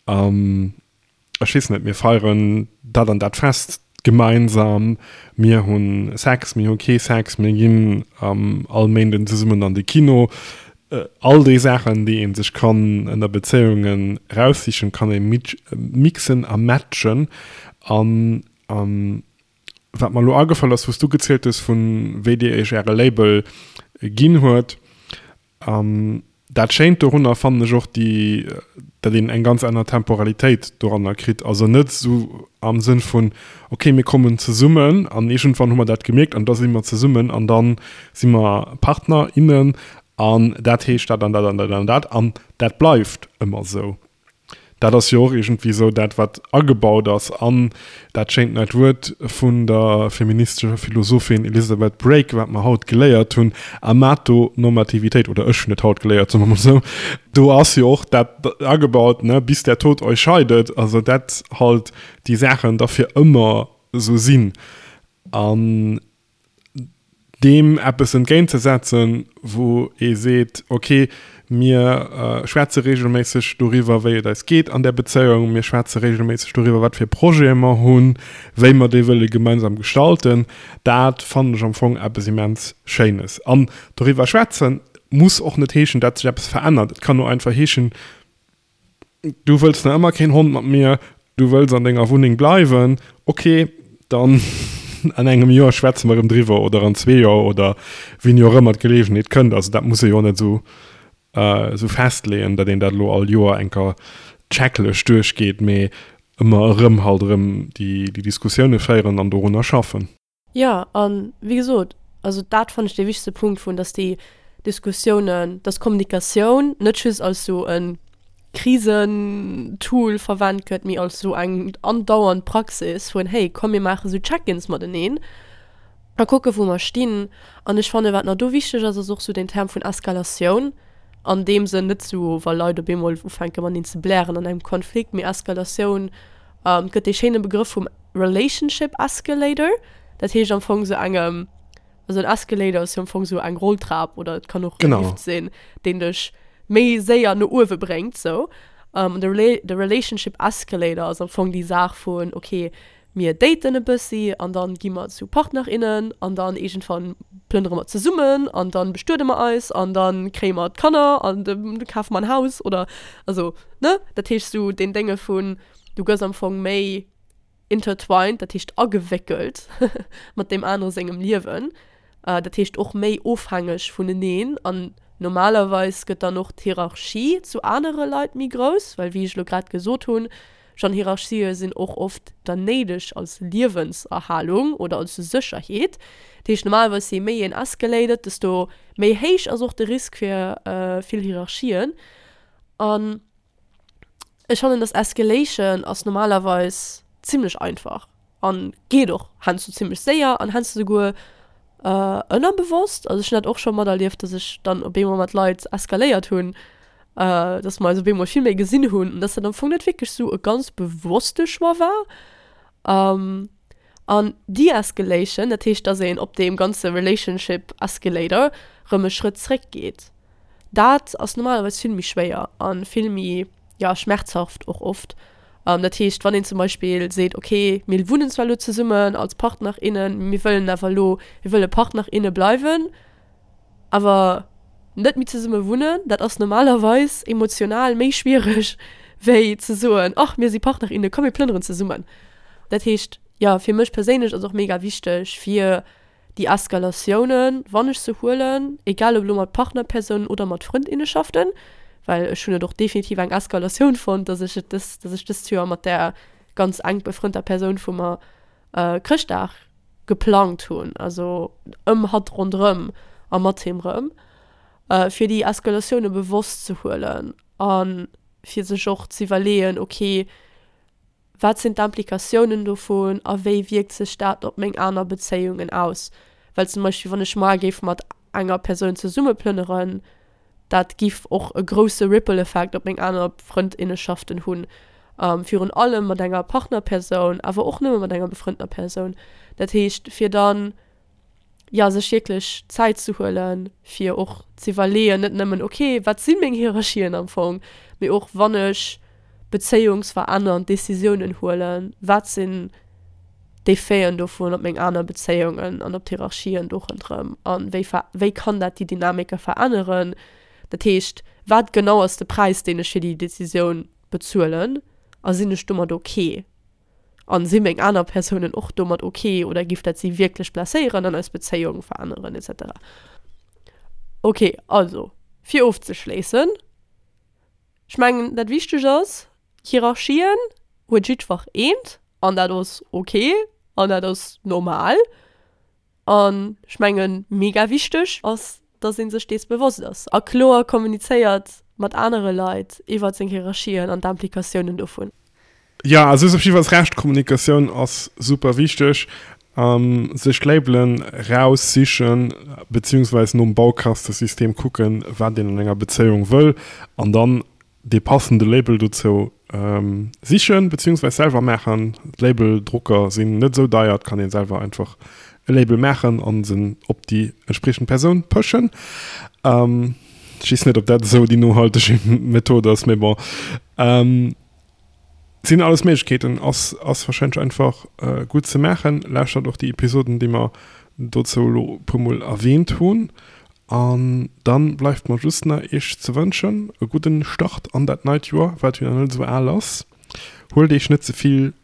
ech weess net, mir feieren dat an dat Fest gemeinsam, mir hu Sex, mir hu kee Sex, mir ginn all Méinden zesummen an de Kino. All déi Saachen, déi ee sech kann ënner Bezéiungen eraussichen, kann ee mixen a matchen. An wat mer elo agefall ass, wou s du gezielt hues, vu wéi Dir Iech Äre Label ginn huet, dat Schéint dorunner fannen ech och déi, datt een eng ganz aner Temporalitéit doranner kritt. Also net esou am Sënn vun, okay, mir kommen zesummen an iergendwann hu mer dat gemierkt an da si mer zesummen an da si mer Partner, innen an dat heescht dat an dat an dat an dat an dat bleift ëmmer esou. Dat ass jo och iergendwéi esou dat, wat agebaut ass an dat schéint neit Wuert vun der feministescher Philosophin Elizabeth Brake, wat mer haut geléiert hunn, Amatonormativitéit, oder ech hunn et haut geléiert, soe mer mol esou, do ass jo och dat agebaut, ne, bis der Tod euch scheidet, also dat halt déi Saachen da fir ëmmer esou sinn. An deem eppes entgéintzesetzen, wou ee seet, ok, mir schwätze reegelméisseg doriwwer, wéi et eis geet an där Bezéiung, mir schwätze reegelméisseg doriwwer, wat fir Projete mer hunn, wéi mer déi wëlle gemeinsam gestalten, dat fannen ech am Fong eppes immens Schéines. An doriwwer schwätze muss och net heeschen, dat sech eppes verännert. Et kann och einfach heeschen, Du wëlls nach ëmmer keen Hond mat mir, du wëlls an denger Wunneng bleiwen, ok, dann an engem Joer schwätze mer erëm driwwer oder an zwee Joer oder wéini och ëmmer d'Geleegenheet kënnt. Also dat muss ee jo och net esou esou festleeën, datt een dat elo all Joer eng Kéier checklech duerchgeet, mee ëmmer erëm halt erëm déi déi Diskussioune féieren an dorunner schaffen. Jo, a wéi gesot, also dat fannen ech dee wichtegste Punkt vun, datt déi Diskussiounen, datt Kommunikatioun net just als esou e Krisentool verwent gëtt, mee als esou eng andauernd Praxis vun, hey, komm mir maache sou Check-ins mateneen a kucke wou mer stinn. An ech fannen, wat nach do wichteg ass, ass och sou den Term vun Eskalatioun, an deem Sënn net sou, wa Leit op eemol ufänke mateneen ze blären an engem Konflikt, mee Eskalatioun, et gëtt dee schéine Begrëff vum Relationship Escalator, dat heescht am Fong sou engem, also en Escalator ass jo am Fong sou eng Rolltrap oder et kann och e Lift sinn, deen dech méi séier no uewe bréngt sou. An de Rela de Relationship Escalator ass am Fong déi Saach vun, ok, mir daten e bëssi an dann gi mer zu Partner, innen an dann iergendwann plënnere mer zesummen an dann bestuede mer eis an dann kréie mer d'Kanner an da kafe mer en Haus oder also ne? Dat heescht sou deen Dénge vun, du gëss am Fong méi intertwined, dat heescht agewéckelt mat deem anere sengem Liewen, dat heescht och méi ofhängeg vuneneen an normalerweis gëtt dann och d'Hierarchie zu anere Leit méi grouss, well wéi ech elo grad gesot hunn, schonn Hierarchië sinn och oft dann néideg als Liewenserhalung oder als Sécherheet. Dat heescht normalerweis je méi een escalated, desto méi héich ass och de Risk fir vill Hierarchien an Ech fannen dass Escalation ass normalerweis zimlech einfach an geet och heiansdo zimlech séier an heiansdo souguer ënnerbewosst. Also ech hunn dat och scho materlieft, dass ech dann op eemol mat Leit eskaléiert hunn, dass mer eis op eemol vill méi gesinn hunn an dass dat am Fong net wierklech sou e ganz bewosste Choix war. An Deescalation, dat heescht, dass een op deem ganze Relationship Escalator rëm e Schrëtt zréck geet. Dat ass normalerweis vill méi schwéier a vill méi, ja, schmerzhaft och oft. Dat heescht, wann een zum Beispill seet, okay, mir wunnen zwar elo zesummen als Partner, innen, mee mir wëllen awer elo, mir wëlle Partner, inne bleiwen, awer net méi zesumme wunnen, dat ass normalerweis emotional méi schwiereg wéi ze soen, ach mir si Partner, inne, komm mir plënneren zesummen. Dat heescht, jo, fir mech perséinlech ass och mega wichteg fir déi Eskalatiounen, wann ech se huelen, egal ob elo mat Partnerpersounen oder mat Frëndinneschaften, well ech hunn et och definitiv eng Eskalatioun fonnt, dass ech et dës, dass ech dëst Joer mat där ganz enk befrënnter Persoun vu mer Chrëschtdag geplangt hunn, also ëm hatt ronderëm a mat him rëm, fir déi Eskalatioune bewosst ze huelen a fir sech och ze iwwerleeën, ok, wat sinn d'Implikatiounen dovun a wéi wierkt sech dat op meng aner Bezéiungen aus? Well zum Beispill wann ech mar géif mat enger Persoun zesumme plënneren, dat giff och e grousse Ripple Effect op meng aner Frëndinneschaften hunn, virun allem mat enger Partnerpersoun, awer och nëmme mat enger befrëndener Persoun. Dat heescht fir dann, jo, sech wierklech Zäit ze huelen, fir och z'iwwerleeën, net nëmmen, ok, wat si meng Hierarchien am Fong, mee och wann ech bezéiungsverännernd Decisiounen huelen, wat sinn d'Effeten dovun op meng aner Bezéiungen an op d'Hierarchien do ronderëm a wéi wéi kann dat déi Dynamike veränneren? Dat heescht, wat genau ass de Präis, deen ech fir déi Decisioun bezuelen a sinn ech domat ok? A si meng aner Persounen och domat ok oder giff dat si wierklech blesséieren an eis Bezéiung veränneren et cetera. Ok, also fir ofzeschléissen, Ech mengen dat wichteg ass, Hierarchien huet jiddwer eent an dat ass ok an dat ass normal. An ech mengen mega wichteg ass, dass ee sech dees bewosst ass a kloer kommunizéiert mat anere Leit iwwert seng Hierarchien an d'Implikatiounen dovun. Jo, also hues op jiddefalls Recht, Kommunikatioun ass super wichteg. Sech Labelen raussichen, beziehungsweise nom Baukastesystem kucken, wat een an enger Bezéiung wëll an dann dee passende Label dozou sichen, beziehungsweise selwer maachen. Labeldrucker sinn net esou deier, et kann een selwer einfach e Label maachen an se op déi entspriechend Persoun pëschen. Ech weess net, ob dat esou déi nohalteg Method ass, mee bon. Sinn alles Méiglechkeeten, ass ass wahrscheinlech einfach gutt ze maachen. Lauschtert och déi Episoden déi mer dozou elo e puer mol erwähnt hunn. An dann bleift mer just nach iech ze wënschen e gudden Start an dat neit Joer, wat jo nach net esou al ass. Huelt iech net ze vill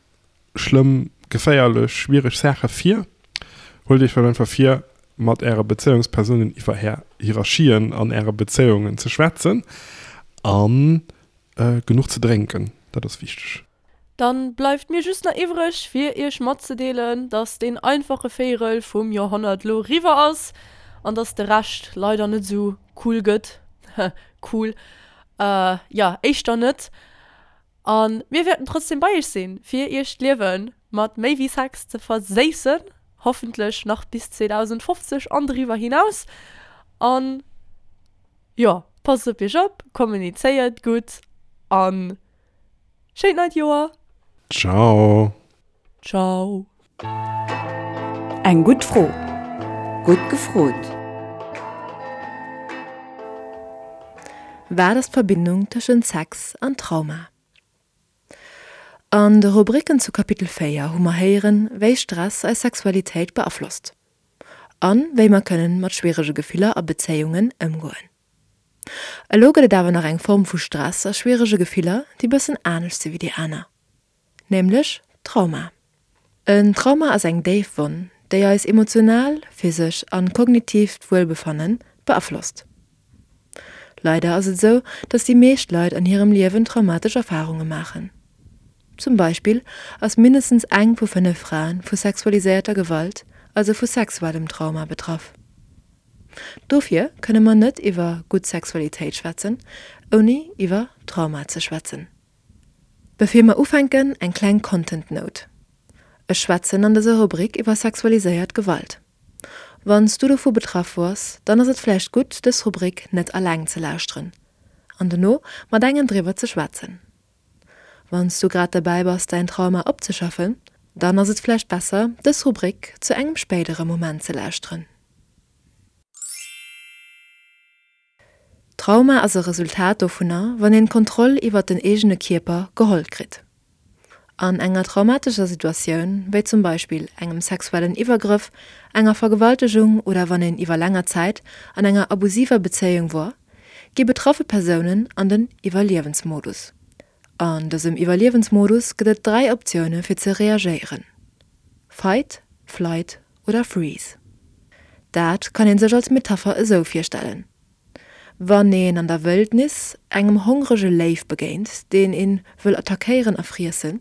schlëmm, geféierlech, schwiereg Saache vir. Huelt iech vläicht einfach vir mat äre Bezéiungspersounen iwwer är Hierarchien an äre Bezéiungen ze schwätzen an genuch ze drénken, dat ass wichteg. Dann bleift mir just nach iwwreg fir iech matzedeelen, dass deen einfache Véierel vum Joerhonnert lo riwwer ass an dass de Rescht leider net sou cool gëtt. Cool, jo éischter net. An mir wäerten trotzdem bei iech sinn fir iech d'Liewen mat méi wéi Sex ze verséissen, hoffentlech nach bis zweedausendfofzeg an driwwer hinaus. An jo, passt op iech op, kommunizéiert gutt an schéint neit Joer! Ciao! Ciao! Eng gutt Fro, gutt gefrot! Wat ass d'Verbindung tëschent Sex an Trauma? An de Rubriken zu Kapitel véier hu mer héieren, wéi Stress eis Sexualitéit beaflosst an wéi mer kënnen mat schwierege Gefiller a Bezéiungen ëmgoen. Elo gëtt et awer nach eng Form vu Stress a schwierege Gefiller, déi bëssen anescht si wéi déi aner, nämlech Trauma. En Trauma ass eng déif Wonn, déi eis emotional, physesch an kognitiivt Wuelbefanne beaflosst. Leider ass et esou, dass déi meescht Leit an hirem Liewen traumatesch Erfarunge maachen. Zum Beispill ass mindestens eng vu fënnef Frae vu sexualiséierter Gewalt, also vu sexuellem Trauma betraff. Dofir kënne mer net iwwer gutt Sexualitéit schwätzen, ouni iwwer Trauma ze schwätzen. Bevir mer ufänken, eng kleng Content Note, Ech schwätzen an dëser Rubrik iwwer sexualiséiert Gewalt. Wann s du dovu betraff wars, dann ass et vläicht gutt, dës Rubrik net alleng ze lauschteren an dono mat engem driwwer ze schwätzen. Wann s du grad derbäi bass, däin Trauma opzeschaffen, dann ass et vläicht besser, dës Rubrik zu engem spéidere Moment ze lauschteren. Trauma ass e Resultat dovunner, wann een d'Kontroll iwwert den eegene Kierper geholl kritt. An enger traumatescher Situatioun, wéi zum Beispill engem sexuellen Iwwergrëff, enger Vergewaltegung oder wann een iwwer länger Zäit an enger abusiver Bezéiung wor, gi betraffe Persounen an den Iwwerliewensmodus. An dësem Iwwerliewensmodus gëtt et dräi Optioune fir ze reagéieren, Fight, Flight oder Freeze. Dat kann een sech als Metapher esou virstellen, Wann een an der Wëldnis engem hongrege Léiw begéint, deen een wëll attackéieren a friessen,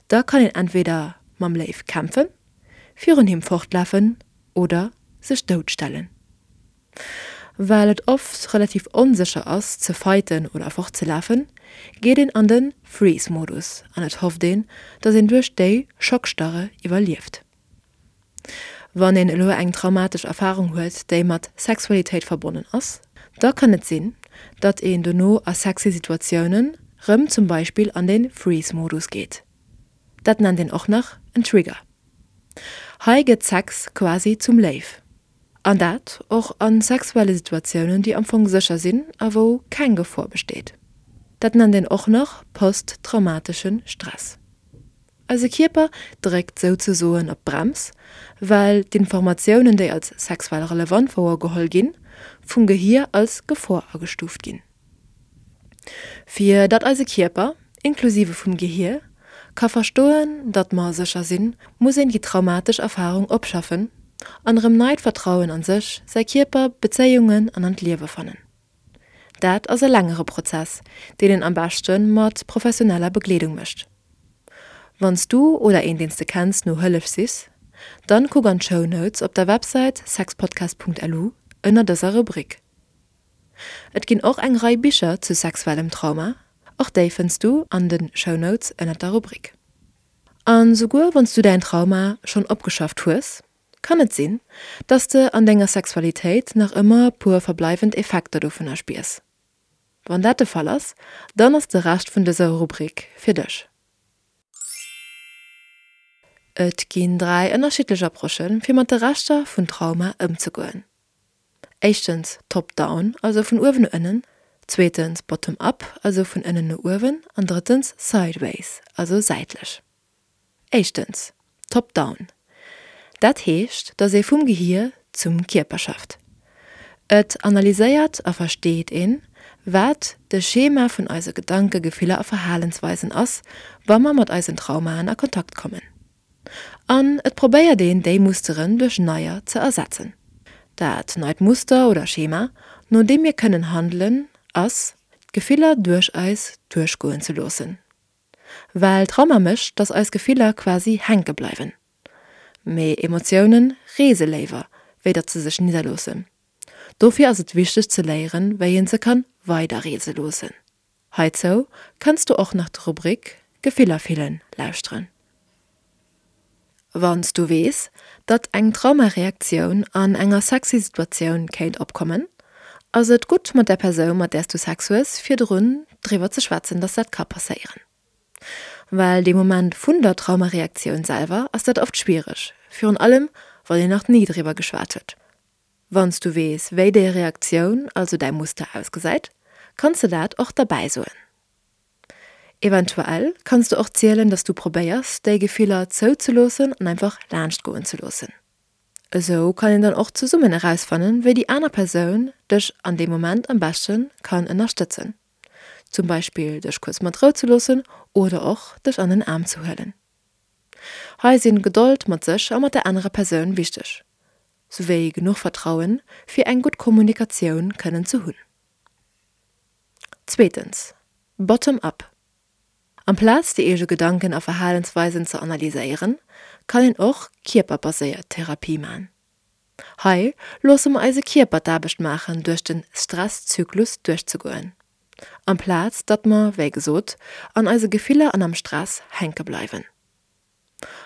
da kann een entweder mam Léiw kämpfen, virun him fortlafen oder sech doutstellen. Well et oft relativ onsécher ass ze fighten oder fortzelafen, geet een an de Freeze-Modus an et hofft een, datt een duerch déi Schockstarre iwwerlieft. Wann een elo eng traumatesch Erfarung huet, déi mat Sexualitéit verbonnen ass, da kann et sinn, datt een dono a sexy Situatiounen rëm zum Beispill an de Freeze-Modus geet. Dat nennt een och nach en Trigger. Hei gëtt Sex quasi zum Léiw. An dat och a sexuelle Situatiounen, déi am Fong sécher sinn a wou keng Gefor besteet. Dat nennt een och nach posttraumatesche Stress. Eise Kierper dréckt souzesoen op d'Brems, well d'Informatiounen, déi als sexuell relevant wouergeholl ginn, vum Gehier als Gefor agestuuft ginn. Fir datt eise Kierper, inklusive vum Gehier, ka verstoen, datt mer sécher sinn, muss een déi traumatesch Erfarung opschaffen an erëm neit Vertrauen an sech, säi Kierper, Bezéiungen an an d'Liewe fannen. Dat ass e längere Prozess, deen een am beschte mat professioneller Begleedung mécht. Wann s du oder een deen s de kenns no Hëllef sichs, dann kuck an d'Show Notes op der Websäit sexpodcast.lu ënner dëser Rubrik. Et ginn och eng Rei Bicher zu sexuellem Trauma, och déi fënns du an de Show Notes ënner der Rubrik. An souguer wann s du däin Trauma schonn opgeschafft hues, kann et sinn, dass de an denger Sexualitéit nach ëmmer puer verbleiwend Effekter dovunner spiers. Wann dat de Fall ass, dann ass de Rescht vun dëser Rubrik fir dech. Et ginn dräi ënnerschiddlech Approchen, fir mat de Reschter vun Trauma ëmzegoen. Éischtens top-down, also vun uewen no ënnen, zweetens bottom-up, also vun ënnen no uewen, an drëttens sideways, also säitlech. Éischtens, top-down. Dat heescht, dass ee vum Gehier zum Kierper schafft. Et analyséiert a versteet een, wat de Schema vun eise Gedanken, Gefiller a Verhalensweisen ass, wa mer mat eisen Traumaen a Kontakt kommen. An et probéiert een, déi Musteren duerch neier ze ersetzen. Dat neit Muster oder Schema, no deem mir kënnen handelen, ass, d'Gefiller duerch eis duerchgoen ze loossen. Well Trauma mécht, dass eis Gefiller quasi hänke bleiwen. Mee Emotiounen reese léiwer, wéi datt se sech nidderloossen. Dofir ass et wichteg ze léieren, wéi een se kann weiderreese loossen. Heizou kanns du och nach d'Rubrik Gefiller fillen lauschteren. Wann s du weess, datt eng Traumareaktioun an enger sexy Situatioun kéint opkommen, ass et gutt mat der Persoun, mat där s du Sex hues, virdrun driwwer ze schwätzen, datt dat ka passéieren. Well dee Moment vun der Traumareaktioun selwer ass dat oft schwiereg, virun allem wann een nach ni driwwer geschwat huet. Wann s du weess, wéi déi Reaktioun, also däi Muster ausgesäit, kanns de dat och derbäi soen. Eventuell kanns de och zielen, dass du probéiers, déi Gefiller zouzeloossen an einfach laanscht goen ze loossen. Esou kann een dann och zesummen erausfannen, wéi déi aner Persoun dech an deem Moment am beschte kann ënnerstëtzen. Zum Beispill dech kuerz mat Rou ze loossen oder och dech an den Aarm ze huelen. Hei sinn Gedold mat sech a mat der anerer Persoun wichteg, souwéi genuch Vertrauen, fir eng gutt Kommunikatioun kënnen ze hunn. Zweetens, Bottom up. Amplaz déi eege Gedanken a Verhalensweisen ze analyséieren, kann een och kierperbaséiert Therapie man. Hei loosse mer eise Kierper d'Aarbecht maachen duerch den Stresszyklus duerchzegoen, amplaz datt mer, wéi gesot, an eise Gefiller an am Stress hänke bleiwen.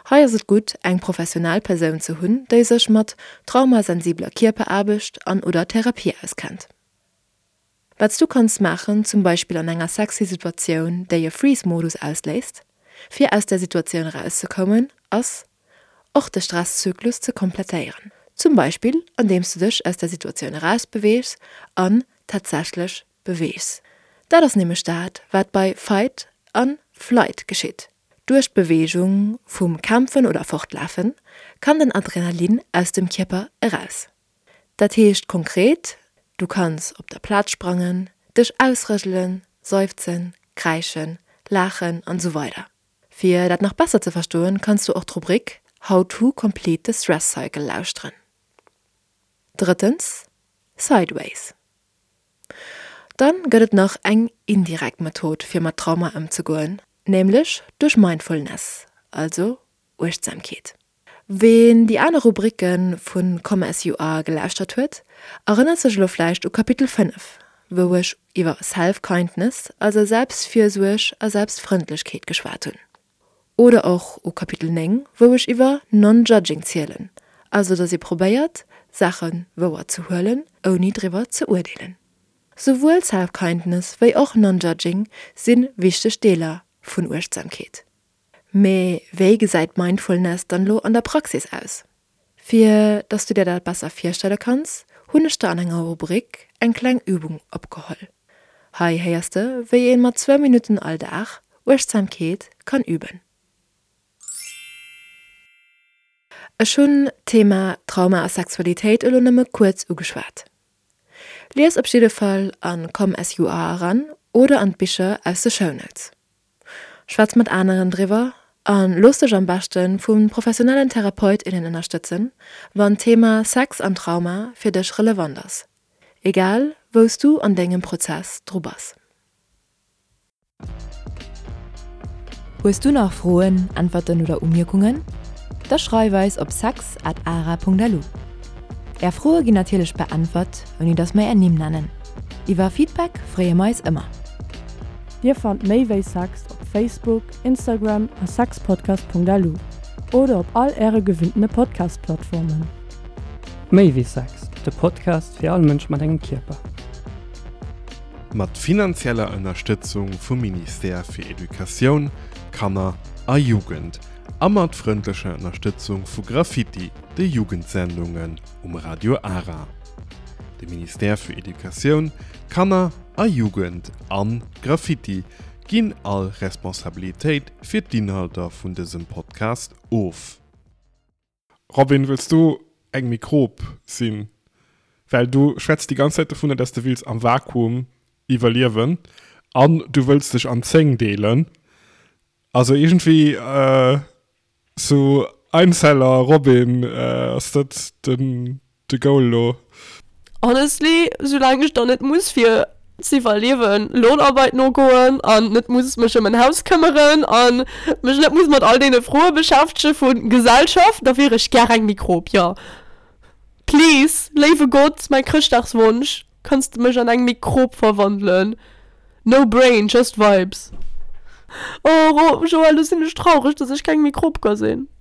Hei ass et gutt, eng professionell Persoun ze hunn, déi sech mat traumasensibler Kierperaarbecht an oder Therapie auskennt. Wat s du kanns maachen, zum Beispill an enger sexy Situatioun, déi e Freeze-Modus ausléist, fir aus der Situatioun erauszekommen, ass, och de Stresszyklus ze komplettéieren. Zum Beispill andeems du dech aus der Situatioun erausbeweegs an tatsächlech beweegs. Dat ass nämlech dat, wat bei Fight an Flight geschitt. Duerch d'Beweegung vum Kämpfen oder Fortlafen kann den Adrenalin aus dem Kierper eraus. Dat heescht konkret, Du kanns op der Plaz sprangen, dech ausrëselen, seufzen, kräischen, laachen an esou weider. Fir dat nach besser ze verstoen, kanns du och d'Rubrik How to complete the stress cycle lauschteren. Drëttens, Sideways. Dann gëtt et nach eng indirekt Method fir mat Trauma ëmzegoen, nämlech duerch Mindfulness, also Uechtsamkeet. Ween déi aner Rubricke vu Come As You Are gelauschtert huet, erënnert sech elo vläicht u Kapitel fënnef, wou ech iwwer Self-Kindness, also Selbstfürsuerg a Selbstfrëndlechkeet geschwat hunn. Oder och u Kapitel néng, wou ech iwwer Non-Judging zielen, also datt ee probéiert, Saache wouer ze huelen, ouni driwwer ze urdeelen. Souwuel Self-Kindness wéi och Non-Judging si wichteg Deeler vun Uechtsamkeet. Mee wéi gesäit Mindfulness dann elo an der Praxis aus? Fir dass du dir dat besser virstelle kanns, hunn ech der an enger Rubrik eng kleng Übung opgeholl. Hei héiers de, wéi een mat zwou Minutten all Dag Uechtsamkeet kann üben. Ech hunn d'Thema Trauma a Sexualitéit elo nëmme kuerz ugeschwat. Lies op jidde Fall an Come As You Are eran oder an d'Bicher aus de Shownotes. Schwätz mat aneren driwwer a looss dech am beschte vu professionellen Therapeut, innen ënnerstëtzen, wann d'Thema Sex an Trauma fir dech relevant ass, egal wou s du an dengem Prozess dru bass. Hues du nach Froen, Äntwerten oder Umierkungen? Da schreif eis op sex at ara punkt lu. Är Froe ginn natierlech beäntwert, ouni dass mer är Nimm nennen. Iwwer Feedback freeë mer eis ëmmer. Dir fannt méi wéi Sex op Facebook, Instagram a sexpodcast.lu oder op all äre gewinntene Podcast-Plattformen. Méi wéi Sex, de Podcast fir all Mënsch mat engem Kierper. Mat finanzieller Ënnerstëtzung vum Ministère fir Educatioun, Kanner a Jugend a mat frëndlecher Ënnerstëtzung vu Graffiti, de Jugendsendungen um Radio Ara. De Ministère fir Educatioun, Kanner a Jugend an Graffiti ginn all Responsabilitéit fir d'Inhalter vun dësem Podcast of. Robin, wëlls du eng Mikrob sinn? Well du schwätz déi ganz Zäit dovunner, dass du wills am Vakuum iwwerliewen an du wëlls dech an zéng deelen. Also iergendwéi äh, sou Einzeller Robin, äh, ass dat den de Goal lo? Honestly, soulaang ech dann net muss fir z'iwwerliewen Lohnarbeit nogoen an net muss mech ëm en Haus këmmeren an mech net muss mat all deene Froe beschäftege vu Gesellschaft, da wier ech gär eng Mikrob, jo. Please, léiwe Gott, mäi Chrëschtdagswonsch, kanns de mech an eng Mikrob verwandelen? No brain, just vibes. Oh Joël, lo sinn ech traureg, dass ech keng Mikrob ka sinn.